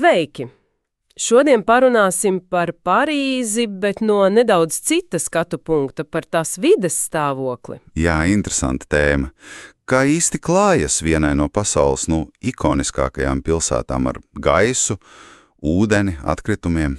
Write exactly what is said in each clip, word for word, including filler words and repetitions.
Sveiki! Šodien parunāsim par Parīzi, bet no nedaudz cita skatu punkta, par tās vides stāvokli. Jā, interesanta tēma. Kā īsti klājas vienai no pasaules nu, ikoniskākajām pilsētām ar gaisu, ūdeni, atkritumiem?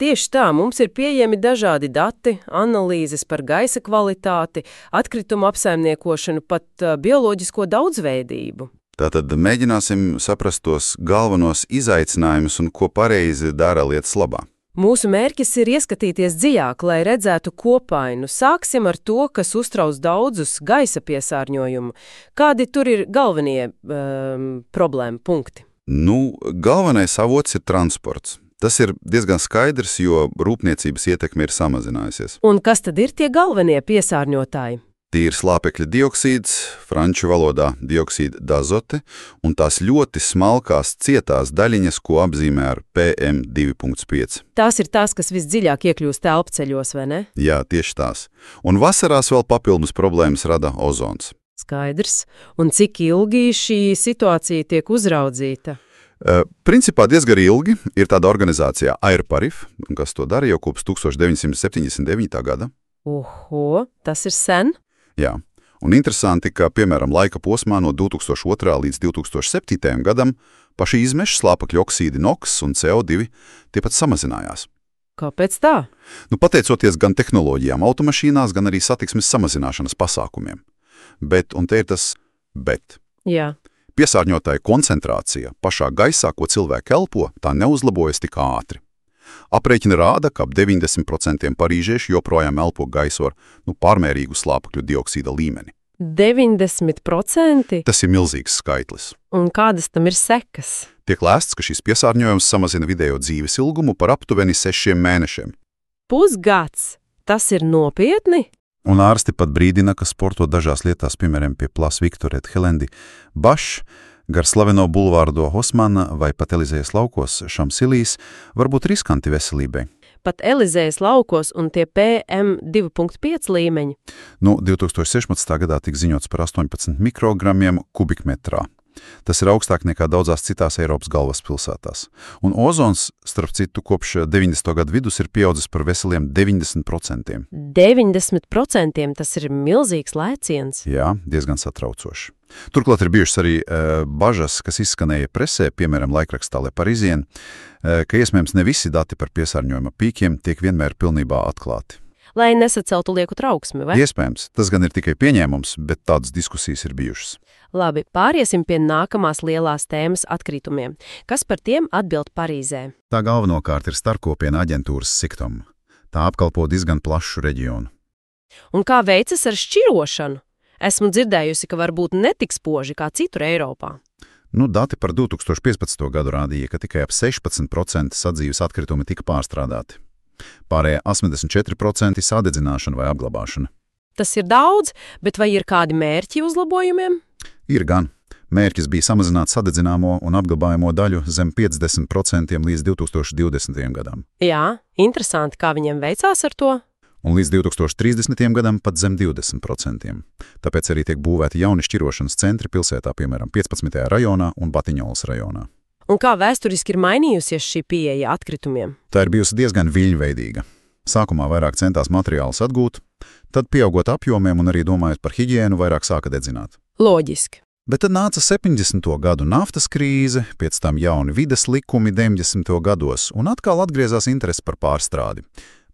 Tieši tā, mums ir pieejami dažādi dati, analīzes par gaisa kvalitāti, atkritumu apsaimniekošanu, pat uh, bioloģisko daudzveidību. Tātad mēģināsim saprast tos galvenos izaicinājumus un ko pareizi dara lietas labā. Mūsu mērķis ir ieskatīties dziļāk, lai redzētu kopainu. Sāksim ar to, kas uztrauc daudzus gaisa piesārņojumu. Kādi tur ir galvenie um, problēma punkti? Nu, galvenais avots ir transports. Tas ir diezgan skaidrs, jo rūpniecības ietekme ir samazinājusies. Un kas tad ir tie galvenie piesārņotāji? Tīri slāpekļa dioksīds, franču valodā dioksīda d'azote, un tās ļoti smalkās cietās daļiņas, ko apzīmē ar P M divi punkts pieci. Tās ir tās, kas visdziļāk iekļūst elpceļos, vai ne? Jā, tieši tās. Un vasarās vēl papildus problēmas rada ozons. Skaidrs. Un cik ilgi šī situācija tiek uzraudzīta? Uh, principā diezgan ilgi ir tāda organizācija AirParif, kas to dara jau kopš tūkstoš deviņsimt septiņdesmit devītā gada. Oho, tas ir sen? Jā, un interesanti, ka, piemēram, laika posmā no divi tūkstoši otrā līdz divi tūkstoši septītajam gadam paši izmeši slāpekļa oksīdi NOx un C O divi tie pat samazinājās. Kāpēc tā? Nu, pateicoties gan tehnoloģijām automašīnās, gan arī satiksmes samazināšanas pasākumiem. Bet, un te ir tas bet. Jā. Piesārņotāja koncentrācija pašā gaisā, ko cilvēki elpo, tā neuzlabojas tik ātri. Aprēķini rāda, ka ap deviņdesmit procenti parīžieši joprojām elpo gaisu ar nu, pārmērīgu slāpekļu dioksīda līmeni. deviņdesmit procenti? Tas ir milzīgs skaitlis. Un kādas tam ir sekas? Tiek lēsts, ka šis piesārņojums samazina vidējo dzīves ilgumu par aptuveni sešiem mēnešiem. Pusgads? Tas ir nopietni? Un ārsti pat brīdina, ka sporto dažās lietās, piemēram, pie Place Victor et Helendi, Bašs, gar slaveno bulvārdo Hosmana vai pat Elizējas laukos Šamsilīs var būt riskanti veselībai. Pat Elizējas laukos un tie P M divi punkts pieci līmeņi? Nu, divi tūkstoši sešpadsmitajā gadā tika ziņots par astoņpadsmit mikrogramiem kubikmetrā. Tas ir augstāk nekā daudzās citās Eiropas galvaspilsētās. Un ozons, starp citu, kopš deviņdesmito gadu vidus ir pieaudzis par veseliem deviņdesmit procentiem. deviņdesmit procenti tas ir milzīgs lēciens. Jā, diezgan satraucoši. Turklāt ir bijušas arī e, bažas, kas izskanēja presē, piemēram, laikrakstā Le Parisien, e, ka iespējams ne visi dati par piesārņojuma pīkiem tiek vienmēr pilnībā atklāti. Lai nesaceltu lieku trauksmi, vai? Iespējams, tas gan ir tikai pieņēmums, bet tādas diskusijas ir bijušas. Labi, pāriesim pie nākamās lielās tēmas atkritumiem. Kas par tiem atbild Parīzē? Tā galvenokārt ir starpkopiena aģentūras Siktom. Tā apkalpo diezgan plašu reģionu. Un kā veicas ar šķirošanu? Esmu dzirdējusi, ka var būt netik spoži kā citur Eiropā. Nu, dati par divi tūkstoši piecpadsmito gadu rādīja, ka tikai ap sešpadsmit procenti sadzīves atkritumi tika pārstrādāti. Pārējie astoņdesmit četri procenti sadedzināšana vai apglabāšana. Tas ir daudz, bet vai ir kādi mērķi uzlabojumiem? Ir gan. Mērķis bija samazināt sadedzināmo un apglabājamo daļu zem piecdesmit procentiem līdz divi tūkstoši divdesmitajam gadam. Jā, interesanti, kā viņiem veicās ar to. Un līdz divi tūkstoši trīsdesmitajam gadam pat zem divdesmit procentiem. Tāpēc arī tiek būvēti jauni šķirošanas centri pilsētā, piemēram, piecpadsmitajā rajonā un Batiņolas rajonā. Un kā vēsturiski ir mainījusies šī pieeja atkritumiem? Tā ir bijusi diezgan viļņveidīga. Sākumā vairāk centās materiālus atgūt, tad pieaugot apjomiem un arī domājot par hiģiēnu, vairāk sāka dedzināt. Loģiski. Bet tad nāca septiņdesmito gadu naftas krīze, pēc tam jauni vides likumi deviņdesmito gados un atkal atgriezās interese par pārstrādi.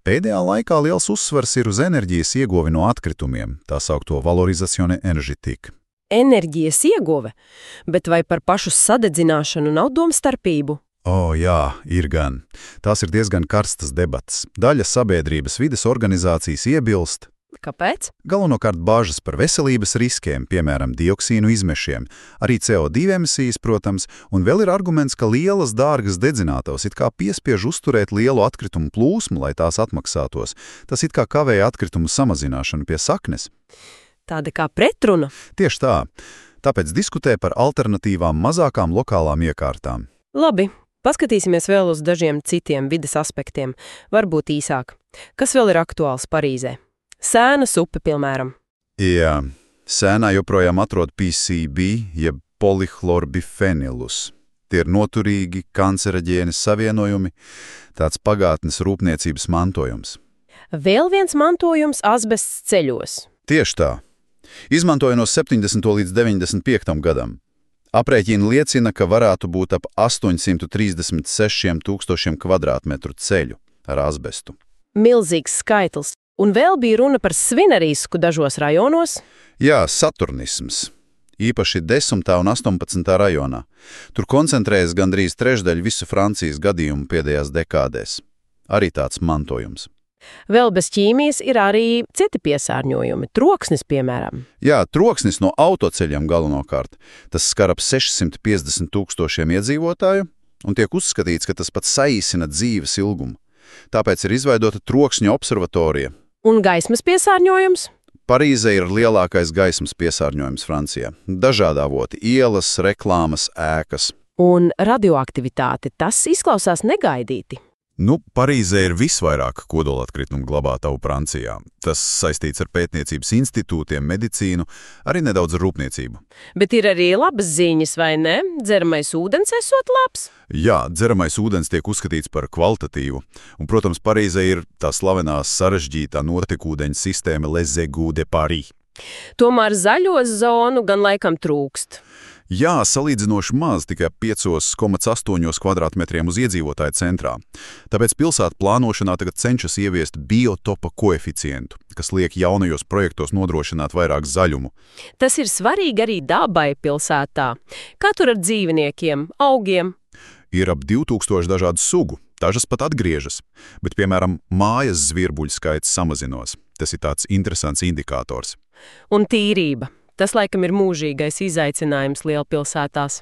Pēdējā laikā liels uzsvars ir uz enerģijas ieguvi no atkritumiem, tā saukto valorizacione enerģetika. Enerģijas ieguve, bet vai par pašu sadedzināšanu nav domstarpību? O, jā, ir gan. Tās ir diezgan karstas debatas. Daļa sabiedrības vides organizācijas iebilst. Kāpēc? Galvenokārt bāžas par veselības riskiem, piemēram, dioksīnu izmešiem, arī C O divi emisijas, protams, un vēl ir arguments, ka lielas dārgas dedzinātavas it kā piespiež uzturēt lielu atkritumu plūsmu, lai tās atmaksātos. Tas it kā kavēja atkritumu samazināšanu pie saknes. Tāda kā pretruna? Tieši tā. Tāpēc diskutē par alternatīvām mazākām lokālām iekārtām. Labi, paskatīsimies vēl uz dažiem citiem vides aspektiem, varbūt īsāk. Kas vēl ir aktuāls Parīzē? Sēnas upe, piemēram. Jā, sēnā joprojām atrod P C B, jeb polihlorbifenilus. Tie ir noturīgi, kancereģēni savienojumi, tāds pagātnes rūpniecības mantojums. Vēl viens mantojums asbests ceļos. Tieši tā. Izmantoja no septiņdesmito līdz deviņdesmit piektam gadam. Aprēķini liecina, ka varētu būt ap astoņsimt trīsdesmit sešiem tūkstošiem kvadrātmetru ceļu ar asbestu. Milzīgs skaitlis. Un vēl bija runa par svinerisku dažos rajonos. Jā, saturnisms. Īpaši desmitā un astoņpadsmitā rajonā. Tur koncentrējas gandrīz trešdaļa visu Francijas gadījumu pēdējās dekādēs. Arī tāds mantojums. Vēl bez ķīmijas ir arī citi piesārņojumi, troksnis, piemēram. Jā, troksnis no autoceļiem galvenokārt. Tas skar ap sešsimt piecdesmit tūkstošiem iedzīvotāju, un tiek uzskatīts, ka tas pat saīsina dzīves ilgumu. Tāpēc ir izveidota trokšņa observatorija. Un gaismas piesārņojums? Parīze ir lielākais gaismas piesārņojums Francijā. Dažādi avoti – ielas, reklāmas, ēkas. Un radioaktivitāte, tas izklausās negaidīti. Nu, Parīzē ir visvairāk kodolatkritumu glabātavu Francijā. Tas saistīts ar pētniecības institūtiem, medicīnu, arī nedaudz ar rūpniecību. Bet ir arī labas ziņas, vai ne? Dzeramais ūdens esot labs? Jā, dzeramais ūdens tiek uzskatīts par kvalitatīvu. Un, protams, Parīzē ir tā slavenā sarežģītā notekūdeņa sistēma Les Égouts de Paris. Tomēr zaļo zonu gan laikam trūkst. Jā, salīdzinoši maz, tikai pieci komats astoņi kvadrātmetriem uz iedzīvotāju centrā. Tāpēc pilsētu plānošanā tagad cenšas ieviest biotopa koeficientu, kas liek jaunajos projektos nodrošināt vairāk zaļumu. Tas ir svarīgi arī dabai pilsētā. Kā tur ar dzīvniekiem, augiem? Ir ap divtūkstoši dažādu sugu, dažas pat atgriežas, bet, piemēram, mājas zvirbuļu skaits samazinos. Tas ir tāds interesants indikators. Un tīrība. Tas, laikam, ir mūžīgais izaicinājums lielpilsētās.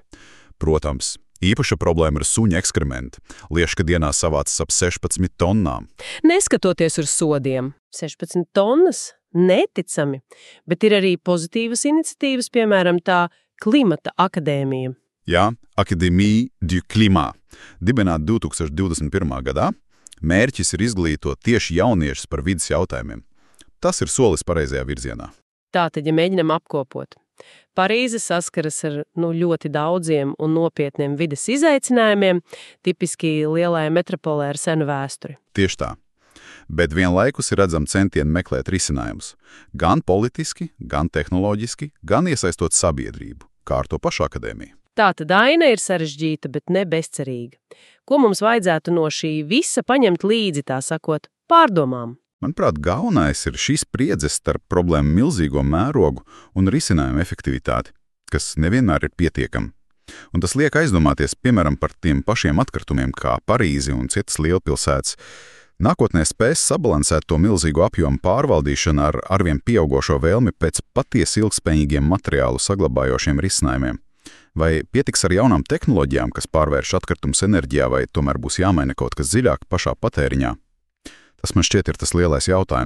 Protams, īpaša problēma ir suņa ekskrementi. Liežka dienā savācas ap sešpadsmit tonnām. Neskatoties uz sodiem. sešpadsmit tonnas? Neticami. Bet ir arī pozitīvas iniciatīvas, piemēram, tā Klimata akadēmija. Jā, Académie du Climat. Dibināta divi tūkstoši divdesmit pirmā gadā. Mērķis ir izglītot tieši jauniešus par vidas jautājumiem. Tas ir solis pareizajā virzienā. Tātad, ja mēģinam apkopot. Parīze saskaras ar nu, ļoti daudziem un nopietniem vides izaicinājumiem, tipiski lielajai metropolē ar senu vēsturi. Tieši tā. Bet vienlaikus ir redzam centieni meklēt risinājumus. Gan politiski, gan tehnoloģiski, gan iesaistot sabiedrību, kā ar to pašu akadēmiju. Tātad aina ir sarežģīta, bet ne bezcerīga. Ko mums vajadzētu no šī visa paņemt līdzi, tā sakot, pārdomām? Manuprāt, galvenais ir šīs spriedzes starp problēmu milzīgo mērogu un risinājumu efektivitāti, kas nevienmēr ir pietiekama. Un tas liek aizdomāties, piemēram, par tiem pašiem atkritumiem kā Parīzi un citas lielpilsētas. Nākotnē spēs sabalansēt to milzīgo apjomu pārvaldīšanu ar arvien pieaugošo vēlmi pēc patiesi ilgspējīgiem materiālu saglabājošiem risinājumiem. Vai pietiks ar jaunām tehnoloģijām, kas pārvērš atkritumus enerģijā, vai tomēr būs jāmaina kaut kas dziļāk pašā patēriņā? Tas man šķiet ir tas lielais jautājums.